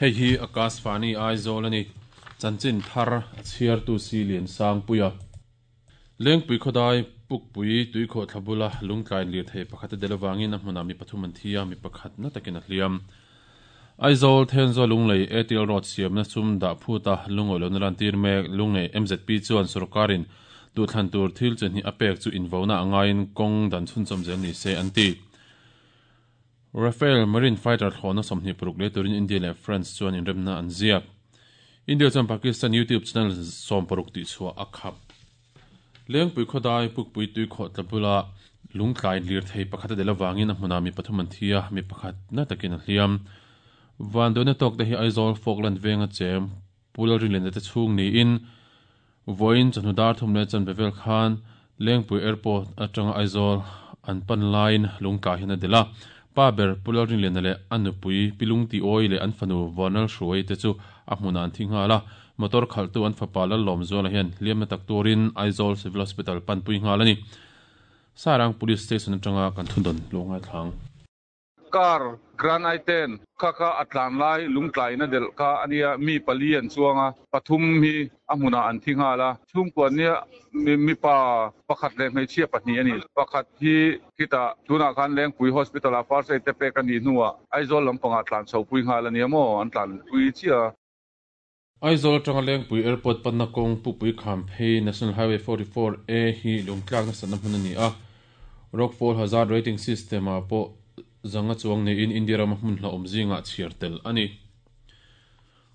Hei hi Akashvani Aizawl a ni. Chanchin thar a chhiartu si Liansangpuia. Lengpui khawdai Pukpui tuikhawhthla bula lungtlai lirthei pakhat a del avangin a hmunah mi pathum an thi a, mi pakhat na takin a hliam. Aizawl Thenzawl Lunglei ATL Road siamna sum dah phuta lungawi lohna lantir mek Lunglei mzp chuan sorkarin duhthlan tur thil chi hnih a pek chu invona a ngaiin kawng dan chhunchawm zel ni se an ti. Rafale Marine fighter thlawhna 26 lei turin India leh France chuan inremna an ziak. India chuan Pakistan YouTube channel 60 tihchhuah a khap. Lengpui khawdai Pukpui tuikhawh tla bula lungtlai lirthei pakhat a del avangin a hmunah mi pathum an thi a, mi pakhat na takin a hliam. Vanduaina tawk te hi Aizawl Falkland venga chem Pu Lalrinliana te chhung niin vawiin chawhnu dar thum leh chanve vel khan Lengpui Airport atanga Aizawl an pan laiin lungtlai hian a del a. Pa ber Pu Lalrinliana leh a nupui Pi Lungtiawi leh an fanu Vanal Hruai te chu a hmunah an thi nghal a. Motor khalhtu an fapa Lallawmzuala hian hliamna tak turin Aizawl Civil Hospital panpui nghal a ni. Sairang Police Station atanga kan thudawn luh ngaithlang. Car Grand i10 kha kha a tlan lai lungtlaina delh kha a nia, mi pali an chuang a, pathum hi a hmunah an thi nghal a, chhungkua nia mipa pakhat leh hmeichhia pahnih a ni. Pakhat hi khitah tunah khan Lengpui Hospital ah first aid te pek a nih hnuah Aizawl lampangah tlan chhopui nghal a nia maw, an tlanpui chiah a. Aizawl atanga Lengpui Airport panna kawng Pupui Kham phei National Highway 44 A hi lungtlak nasatna hmun a ni a, Rockfall Hazard Rating System ah pawh zanga chuang neiin India rama hmun hlauhawm zingah chhiar tel a ni.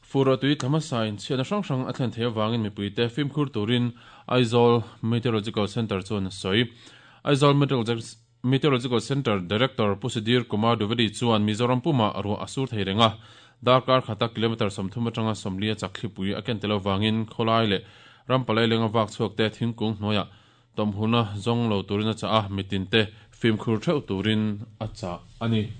Fur tui tla hmasain chhiatna hrang hrang a thlen theih avangin mipuite fimkhur turin Aizawl Meteorological Centre chuan a sawi. Aizawl Meteorological Centre Director Pu Sudhir Kumar Dwivedi chuan Mizoram pumah ruah a sur thei reng a, darkar khata kilometre 30 atanga 40 a chak thlipui a ken tel avangin khawlai leh ram palai lenga vak chhuak te thingkung hnuaiah tawmhulna zawng lo turin a chah a, mitinte fimkhur theuh turin a chah a ni.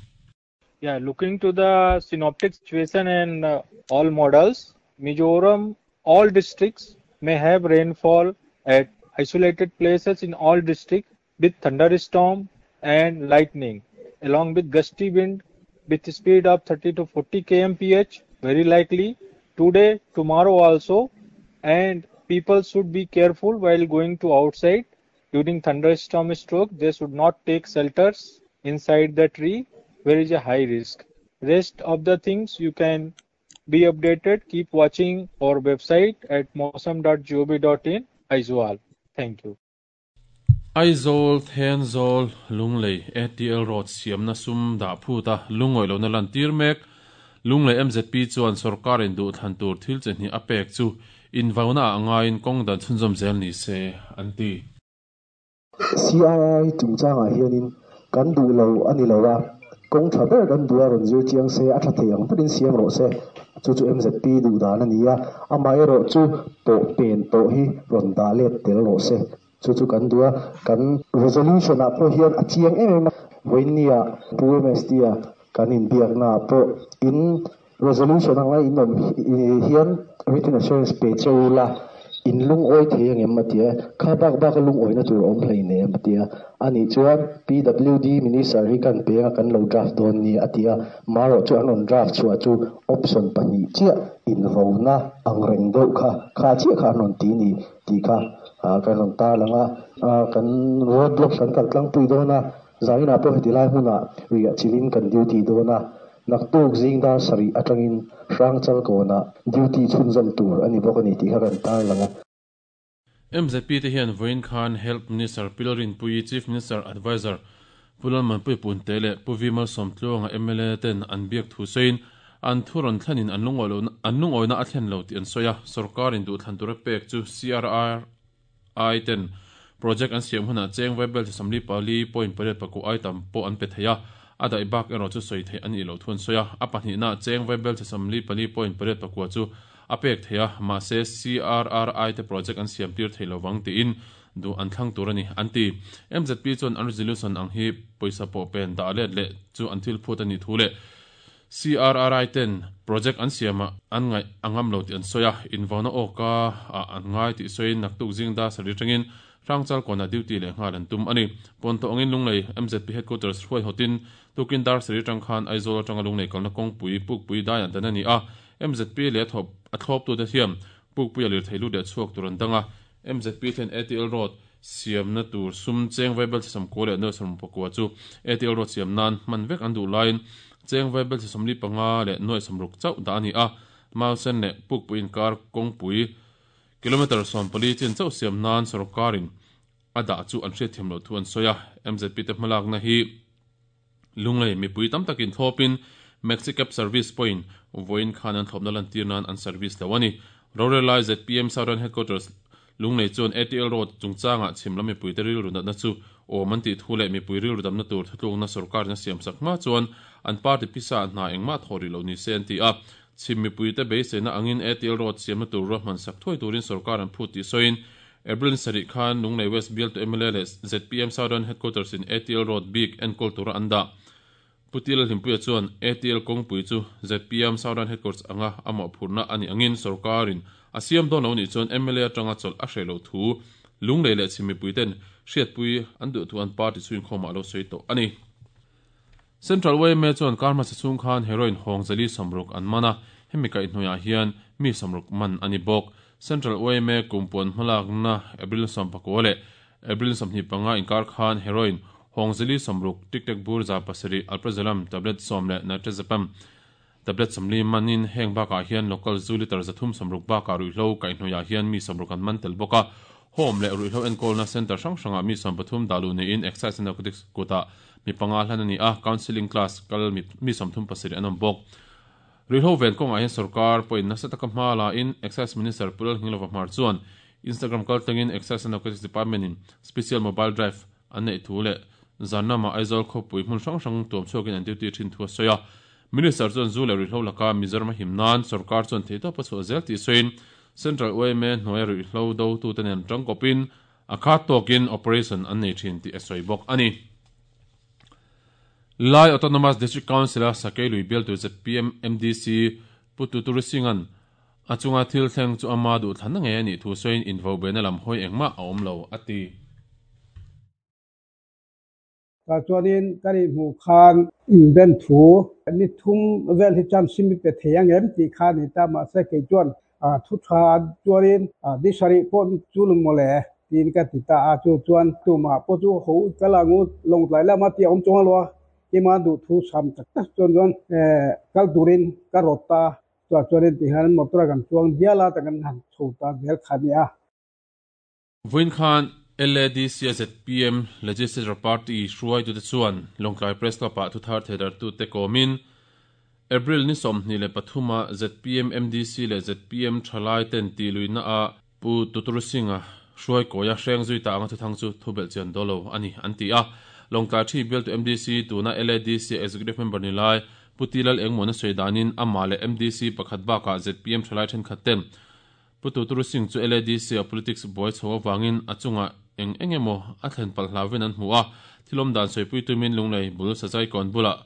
Yeah, looking to the synoptic situation and all models, Mizoram, all districts may have rainfall at isolated places in all districts with thunderstorm and lightning, along with gusty wind with speed of 30 to 40 kmph, very likely today, tomorrow also, and people should be careful while going to outside during thunderstorm stroke. They should not take shelters inside the tree where is a high risk. Rest of the things you can be updated. Keep watching our website at mausam.gov.in. Aizawl. Thank you. Aizawl, Thenzawl, Lunglei, ATL Road siamna sum dah phuta lungawi lohna lantir mek. Lunglei mzp chuan sorkarin duhthlan tur thil chi hnih a pek chu invauna ah ngaiin kawng dan chhunzawm zel ni se an ti. CRI chungchangah hianin kan duh lo a ni lo a, kawng tha ber kan duh a rawn zir chiang se, a tha thei ang berin siam rawh se. Chu chu mzp duh dan a ni a, amaherawh chu pawh pen tawh hi rawn dah let tel rawh se. Chu chu kan duh a, kan resolution ah pawh hian a chiang em em a, vawiinnia Pu MST-a kan inbiakna ah pawh in resolution anga in awm hian written assurance pe che u la, in lungawi thei angem a ti a, kha bak bak a lungawina tur a awm hleinem a ti a, anih chuan PWD Minister hi kan peng a kan lo draft dawn ni a ti a, marawh chu an rawn draft chhuah chu option pahnih chiah invona ang reng deuh kha, kha chiah kha an rawn ti ni. Tih kha kan rawn tarlang a, kan road block kan kal tlangpui dawn a, zaninah pawh heti lai hmunah riah chilhin kan duty dawn a, naktuk zing dar sarih atangin Hrangchal kawnah duty chhunzawm tur a ni bawk a ni tih kha kan tarlang a. MZP te hian vawiin khan Health Minister Pi Lalrinpuii, Chief Minister Adviser Pu Lalmanpui Punte leh Pu V Malsawmtluanga mla ten an biak thu sawiin an thu rawn thlenin an lungawina a thlen lo tih an sawi a, sorkarin duhthlan tura pek chu CRRI ten project an siam hunah cheng vaibel chi 44.8 pakua ai tam pawh an pe thei a, a daih bak erawh chu sawi theih a nih loh thu an sawi a, a pahnihna cheng vaibel chi 44.8 pakua chu a pek thei a, mahse CRRI te project an siam tir thei lovang tiin duh an thlang tur a ni, an ti. MZP chuan an resolution ang hi pawisa pawh pen dah let leh chu an thil phut a nih thu leh CRRI ten project an siamah an ngaih a ngam lo tih an sawi a, invauna awka ah an ngai tih sawiin naktuk zing dar sarih atangin Hrangchal kawnah duty leh nghal an tum a ni. Pawnthawh angin Lunglei MZP Headquarters hruai hawtin tukin dar sarih atang khan Aizawl atanga Lunglei kalna kawngpui Pukpui daiah dan a ni a, MZP leh a thawp a thlawptute hian Pukpuia lirthei lut leh chhuak tur an dang a, MZP hian ATL Road siamna tur sum cheng vaibel chhe 90 leh 80 chu ATL Road siam nan hman vek an duh laiin cheng vaibel chhe 45 leh 60 chauh dah a ni a, Mausen leh Pukpui inkar kawngpui Kilometre 14 chin chauh siam nan sorkarin a dah chu an hriatthiam loh thu an sawi a, MZP te hmalakna hi Lunglei mipui tam takin thlawpin Maxi Cab Service pawhin vawiin khan an thlawpna lantir nan an service lo a ni. Rorel lai zpm Southern Headquarters Lunglei chuan ATL Road chungchangah chhim lam mipuite rilru natna chu awm an tih thu leh mipui rilru damna tur thutlukna sorkarin a siamsak hma chuan an party pisa hna engmah thawh rih loh ni se an ti a. Chhim mipuite beiseina angin ATL Road siamna tur ruahman sak thuai turin sorkar an phut tih sawiin April ni sarih khan Lunglei West bialtu mla leh zpm Southern Headquarters in ATL Road bik enkawl tura an dah. Pu Tila Hlimpuia chuan ATL kawngpui chu zpm Southern Headquarters anga a mawhphurhna a nih angin sorkarin a siam dawn lo nih chuan mla atanga chawlh a hreh loh thu Lunglei leh chhim mipuiten hriatpui an duh thu an party chhuinkhawmah a lo sawi tawh a ni. Central yma chuan kar hmasa chhung khan heroin hawng zali 60 an man a, hemi kaihhnawihah hian mi 60 man a ni bawk. Central yma kumpuan hmalakna April 19 leh April 25 inkar khan heroin hawng zali 60, tic-tac bur 700, alprazolam tablet 10 leh nitrazepam tablet 40 manin heng bakah hian local zu litre 360 bakah ruihhlo kaihhnawihah hian mi 60 an man tel bawk a. Home leh ruihhlo enkawlna centre hrang hrangah mi 13 dah luh niin Excise and Narcotics kutah mi panga hlan a ni a, counselling class kal mi 37 an awm bawk. Ruihhlo ven kawngah hian sorkar pawhin nasa taka hma la in Excise Minister Pu Lalngilova Hmar chuan Instagram kaltlangin Excise and Narcotics Department in Special Mobile Drive an neih thu leh zan lama Aizawl khawpui hmun hrang hrang tuam chhuakin an duty thin thu a sawi a. Minister chuan zu leh ruihhlo laka Mizoram a him nan sorkar chuan theihtawp a chhuah zel tih sawiin Central yma hnuaia ruihhlo dotute nen tangkawpin a khat tawkin operation an nei thin tih a sawi bawk a ni. Lai Autonomous District Council-a Sakei lui bialtu zpm MDC Pu Tuturi Singh-a'n a chunga thil thleng chu ama duhthlanna ngei a nih thu sawiin invobeina lam hawi engmah a awm lo, a ti. Tah chuanin ka nih hmuh khan inben thu ni thum vel hi chuan sim i pe thei ang em tih kha a ni ta, mahse kei chuan thu tha chuanin ni sarih pawh chu lung mawle tiin ka ti ta a, chu chuan tumah pawh chu ho kal ang u lawngtlai lama tih a awm chuang lo a, keimah duh thu sam tak tak chuan chuan kal turin ka rawt ta, chutah chuanin tihian motor a kan chuang dial a, kan han chho ta zel kha a ni a. Vawiin khan LADC-a zpm Legislature Party hruaitute chuan Lawngtlai Press Club-ah thuthar theidartute kawmin April ni 23 a zpm MDC leh zpm thalai ten tihluihna-ah Pu Tutur Singh-a hruai kawia hreng zui ta anga thuthang chu thubelh chian daw lo a ni an ti a. Lawngtlai thi bialtu MDC tuna LADC Executive Member ni lai Pu Ti Lal Engmawna sawi danin amah leh MDC pakhat bakah zpm thalai thenkhat ten Pu Tuturu Singh chu LADC a politics buai chho avangin a chungah eng eng emaw a thlen palh hlauvin an hmu a, thil awm dan sawipui tumin Lunglei bul Sazai kawn bulah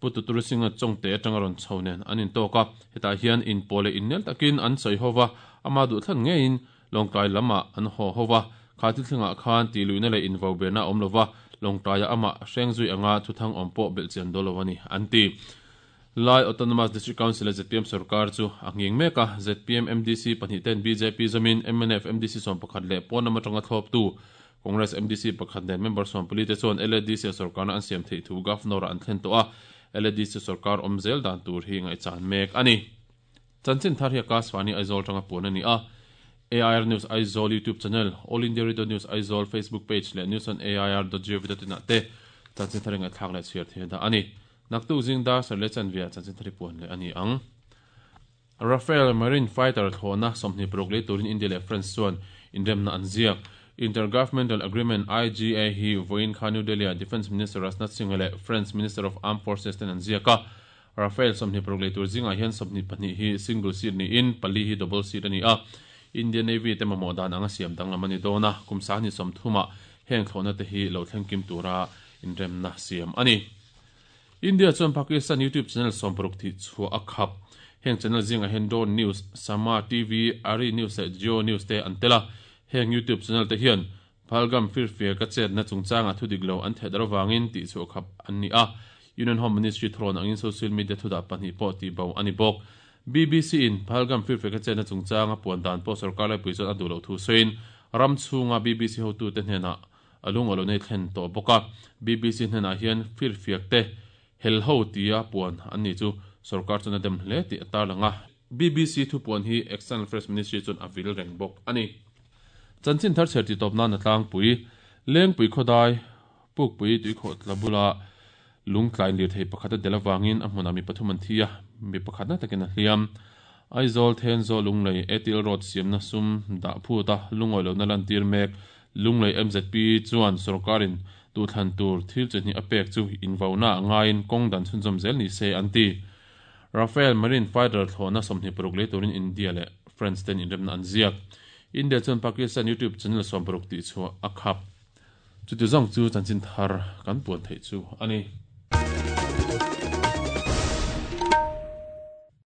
Pu Tuturu Singh-a chawngte atanga rawn chho nen an intawk a, hetah hian inpawh leh innel takin an sawi ho va, ama duhthlan ngeiin Lawngtlai lamah an haw ho va, kha thil thlengah khan tihluihna leh invoberna a awm lo va, Lawngtlaiah amah hreng zui anga thuthang awm pawh belhchian dawl lo a ni, an ti. Lai Autonomous District Council a zpm sorkar chu a nghing mek a, zpm MDC pahnih ten bjp zawmin mnf MDC 11 leh pawn lam atanga thlawptu Congress MDC pakhat nen member 14 te chuan LADC a sorkarna an siam theih thu Governor-ah an thlen tawh a, LADC sorkar awm zel dan tur hi ngaihchan mek a ni. Chanchin thar hi Akashvani Aizawl atanga puan a ni a, AIR News Aizawl YouTube channel, All India Radio News Aizawl Facebook page leh news on air dot gov dot in ah te chanchin thar hi ngaihthlak leh chhiar thei a dah a ni. Naktuk zing dar sarh leh chanve ah chanchin thari puan leh a ni ang. Rafale Marine Fighter thlawhna 26 lei turin India leh France chuan inremna an ziak. Intergovernmental Agreement, IGA, hi vawiin kha New Delhi-ah Defence Minister Rajnath Singh leh France Minister of Armed Forces ten an ziak a. Rafale 26 lei tur zingah hian 22 hi single seat niin pali hi double seat a ni a. Indian Navy te mamawh dan anga siam danglam a ni dawn a, kum 30 ah heng thlawhna te hi lo thleng kim tura inremna siam a ni. India chuan Pakistan YouTube channel 60 thih chhuah a khap. Heng channel zingah hian Dawn News, Sama TV, Ari News leh Geo News te an tel a. Heng YouTube channel te hian Pahalgam firfiak a chetna chungchanga thu dik lo an thehdarh avangin tihchhuah khap an ni a, Union Home Ministry thurawn angin social media thudah pahnih pawh tihbo a ni bawk. BBC in Pahalgam firfiak a chetna chungchanga puan dan pawh sorkar laipui chuan a duh loh thu sawiin ram chhunga BBC hotute hnenah a lungaw nei thlen tawh bawk a. BBC hnenah hian firfiak te hel ho tia puan an ni chu sorkar chuan a dem hle tih a tarlang a. BBC thupuan hi External Affairs Ministry chuan a vil reng bawk a ni. Chanchin thar chher titawp nan a tlangpui, Lengpui khawdai, Pukpui tuikhawh tla bula lungtlai lirthei pakhat a del avangin a hmunah mi pathum an thi a, mi pakhat na takin a hliam. Aizawl, Thenzawl, Lunglei, Atil Road siamna sum dah phut a lungawi lohna lantir mek Lunglei mzp chuan sorkarin duhthlan tur thil chi hnih a pek chu invauna a ngaiin kawng dan chhunzawm zel ni se an ti. Rafale Marine Fighter thlawhna 26 lei turin India leh France ten inremna an ziak. India chuan Pakistan YouTube channel 60 tihchhuah a khap. Chuti zawng chu chanchin thar kan puan theih chu a ni.